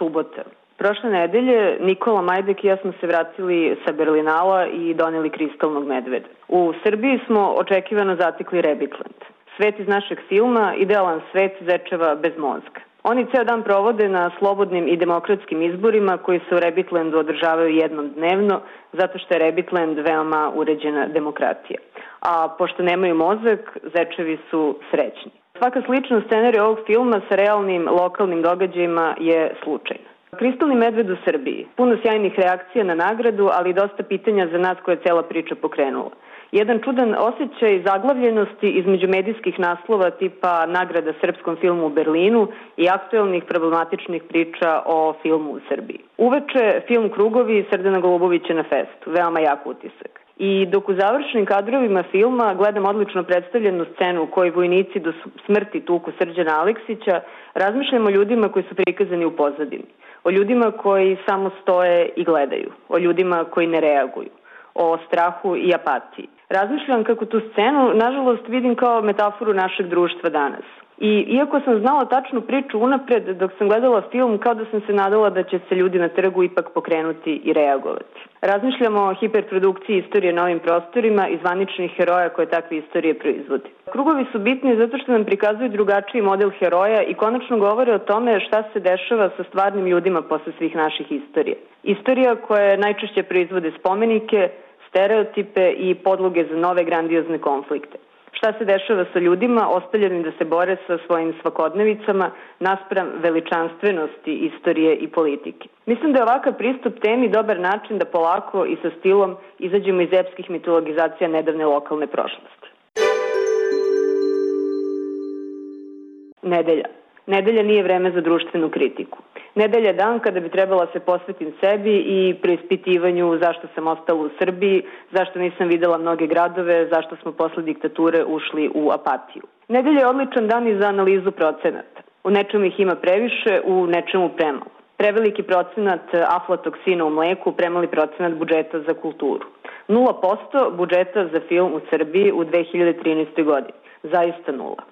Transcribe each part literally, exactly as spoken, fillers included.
subota. Prošle nedelje Nikola Majdek i ja smo se vratili sa Berlinala i doneli kristalnog medveda. U Srbiji smo očekivano zatekli Rebitland. Svet iz našeg filma, idealan svet zečeva bez mozga. Oni ceo dan provode na slobodnim i demokratskim izborima koji se u Rebitlandu održavaju jednom dnevno, zato što je Rebitland veoma uređena demokratija. A pošto nemaju mozak, zečevi su srećni. Svaka slična scenarija ovog filma sa realnim lokalnim događajima je slučajna. Kristalni medved u Srbiji. Puno sjajnih reakcija na nagradu, ali i dosta pitanja za nas koje je cela priča pokrenula. Jedan čudan osjećaj zaglavljenosti između medijskih naslova tipa nagrada srpskom filmu u Berlinu i aktuelnih problematičnih priča o filmu u Srbiji. Uveče film Krugovi Srdana Golubovića na festu. Veoma jak utisak. I dok u završnim kadrovima filma gledam odlično predstavljenu scenu u kojoj vojnici do smrti tuku Srđana Aleksića, razmišljam o ljudima koji su prikazani u pozadini. O ljudima koji samo stoje i gledaju. O ljudima koji ne reaguju. O strahu i apatiji. Razmišljam kako tu scenu, nažalost, vidim kao metaforu našeg društva danas. I iako sam znala tačnu priču unapred, dok sam gledala film, kao da sam se nadala da će se ljudi na trgu ipak pokrenuti i reagovati. Razmišljamo o hiperprodukciji istorije na ovim prostorima i zvaničnih heroja koje takve istorije proizvodi. Krugovi su bitni zato što nam prikazuju drugačiji model heroja i konačno govore o tome šta se dešava sa stvarnim ljudima posle svih naših istorija. Istorija koja najčešće proizvode spomenike, stereotipe i podloge za nove grandiozne konflikte. Šta se dešava sa ljudima ostavljeni da se bore sa svojim svakodnevicama naspram veličanstvenosti istorije i politike. Mislim da je ovakav pristup temi dobar način da polako i sa stilom izađemo iz epskih mitologizacija nedavne lokalne prošlosti. Nedelja. Nedelja nije vreme za društvenu kritiku. Nedelja je dan kada bi trebala se posvetim sebi i preispitivanju zašto sam ostala u Srbiji, zašto nisam videla mnoge gradove, zašto smo posle diktature ušli u apatiju. Nedelja je odličan dan i za analizu procenata. U nečemu ih ima previše, u nečemu premalo. Preveliki procenat aflatoksina u mleku, premali procenat budžeta za kulturu. nula posto budžeta za film u Srbiji u dve hiljade trinaestoj. godini. Zaista nula.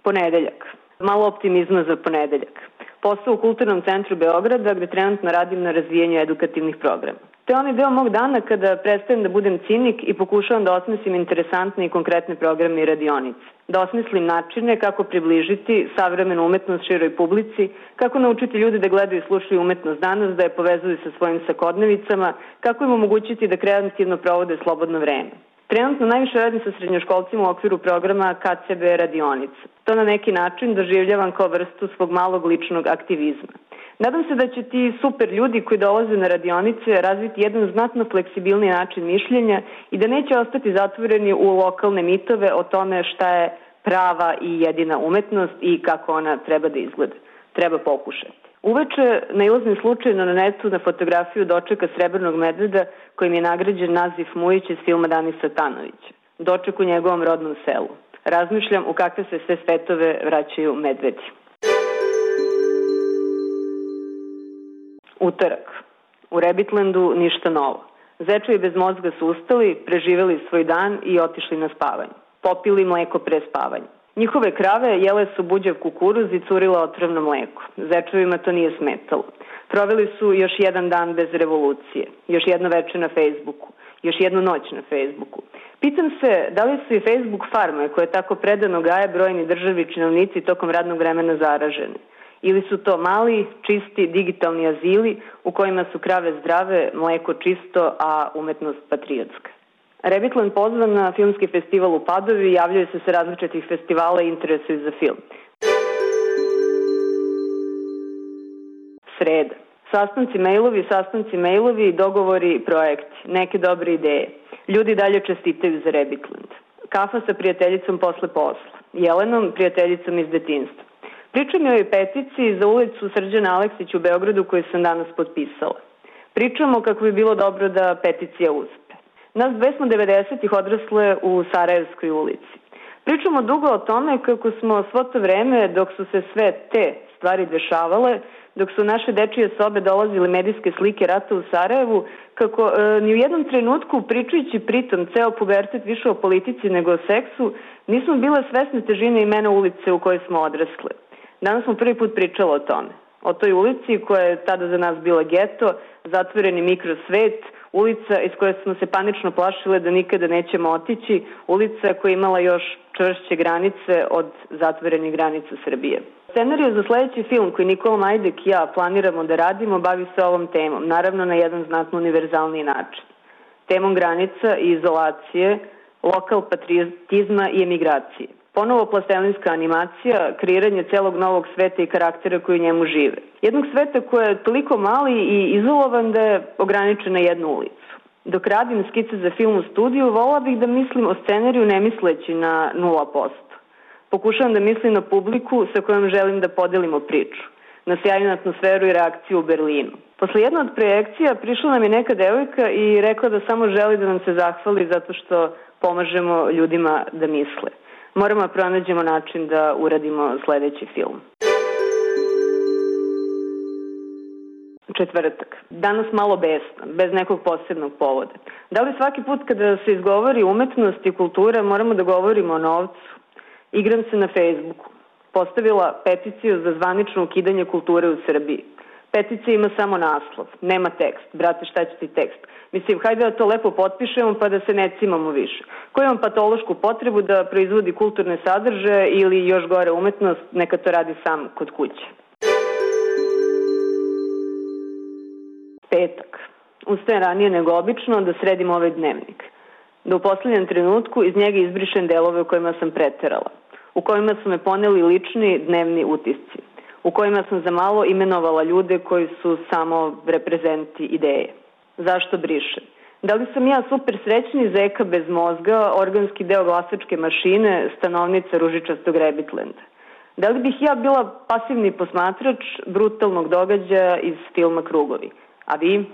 Ponedeljak. Malo optimizma za ponedeljak. Posao u Kulturnom centru Beograda gde trenutno radim na razvijenju edukativnih programa. To je onaj deo mog dana kada prestajem da budem cinik i pokušavam da osmislim interesantne i konkretne programe i radionice. Da osmislim načine kako približiti savremenu umetnost široj publici, kako naučiti ljude da gledaju i slušaju umetnost danas, da je povezuju sa svojim svakodnevicama, kako im omogućiti da kreativno provode slobodno vreme. Trenutno najviše radim sa srednjoškolcima u okviru programa K C B radionica. To na neki način doživljavam kao vrstu svog malog ličnog aktivizma. Nadam se da će ti super ljudi koji dolaze na radionice razviti jedan znatno fleksibilni način mišljenja i da neće ostati zatvoreni u lokalne mitove o tome šta je prava i jedina umetnost i kako ona treba da izgleda. Treba pokušati. Uveče nailazim slučajno na netu na fotografiju dočeka srebrnog medveda kojim je nagrađen Nazif Mujić iz filma Danisa Tanovića. Doček u njegovom rodnom selu. Razmišljam u kakve se sve svetove vraćaju medvedi. Utorak. U Rebitlandu ništa novo. Zečevi bez mozga su ustali, preživeli svoj dan i otišli na spavanje. Popili mleko pre spavanja. Njihove krave jele su buđav kukuruz i curila otrovno mleko. Zečevima to nije smetalo. Proveli su još jedan dan bez revolucije, još jedno veče na Facebooku, još jednu noć na Facebooku. Pitam se da li su i Facebook farme koje tako predano gaje brojni državni činovnici tokom radnog vremena zaraženi. Ili su to mali, čisti, digitalni azili u kojima su krave zdrave, mleko čisto, a umetnost patriotska. Rebitland pozvan na filmski festival u Padovi, javljaju se sa različitih festivala i interesuju za film. Sreda. Sastanci mailovi, sastanci mailovi, dogovori i projekti. Neke dobre ideje. Ljudi dalje čestitaju za Rebitland. Kafa sa prijateljicom posle posla. Jelenom, prijateljicom iz detinjstva. Pričam je o peticiji za ulicu Srđana Aleksića u Beogradu koju sam danas potpisala. Pričamo kako bi bilo dobro da peticija uspe. Nas dve smo devedesetih odrasle u Sarajevskoj ulici. Pričamo dugo o tome kako smo svo to vreme, dok su se sve te stvari dešavale, dok su naše dečije sobe dolazile medijske slike rata u Sarajevu, kako e, ni u jednom trenutku, pričajući pritom ceo pubertet više o politici nego o seksu, nismo bile svesne težine imena ulice u kojoj smo odrasle. Danas smo prvi put pričali o tome. O toj ulici koja je tada za nas bila geto, zatvoreni mikrosvet, ulica iz koje smo se panično plašile da nikada nećemo otići, ulica koja je imala još čvršće granice od zatvorenih granica Srbije. Scenariju za sledeći film koji Nikola Majdek i ja planiramo da radimo bavi se ovom temom, naravno na jedan znatno univerzalniji način. Temom granica i izolacije, lokal patriotizma i emigracije. Ponovo plastelinska animacija, kreiranje celog novog sveta i karaktera koji u njemu žive. Jednog sveta koji je toliko mali i izolovan da je ograničen na jednu ulicu. Dok radim skice za film u studiju, volila bih da mislim o scenariju ne misleći na nula posto. Pokušavam da mislim na publiku sa kojom želim da podelimo priču, na sjajnu atmosferu i reakciju u Berlinu. Posle jedne od projekcija prišla nam je neka devojka i rekla da samo želi da nam se zahvali zato što pomažemo ljudima da misle. Moramo da pronađemo način da uradimo sledeći film. Četvrtak. Danas malo besno, bez nekog posebnog povoda. Da li svaki put kada se izgovori umetnost i kultura moramo da govorimo o novcu? Igram se na Facebooku. Postavila peticiju za zvanično ukidanje kulture u Srbiji. Peticija ima samo naslov, nema tekst. Brate, šta će ti tekst? Mislim, hajde da to lepo potpišemo pa da se ne cimamo više. Ko ima patološku potrebu da proizvodi kulturne sadržaje ili još gore umetnost, neka to radi sam kod kuće. Petak. Ustajem ranije nego obično da sredim ovaj dnevnik. Da u poslednjem trenutku iz njega izbrišem delove u kojima sam preterala, u kojima su me poneli lični dnevni utisci, u kojima sam za malo imenovala ljude koji su samo reprezenti ideje. Zašto brišem? Da li sam ja super srećni zeka bez mozga, organski deo glasačke mašine, stanovnica ružičastog Rebitlenda? Da li bih ja bila pasivni posmatrač brutalnog događaja iz filma Krugovi? A vi?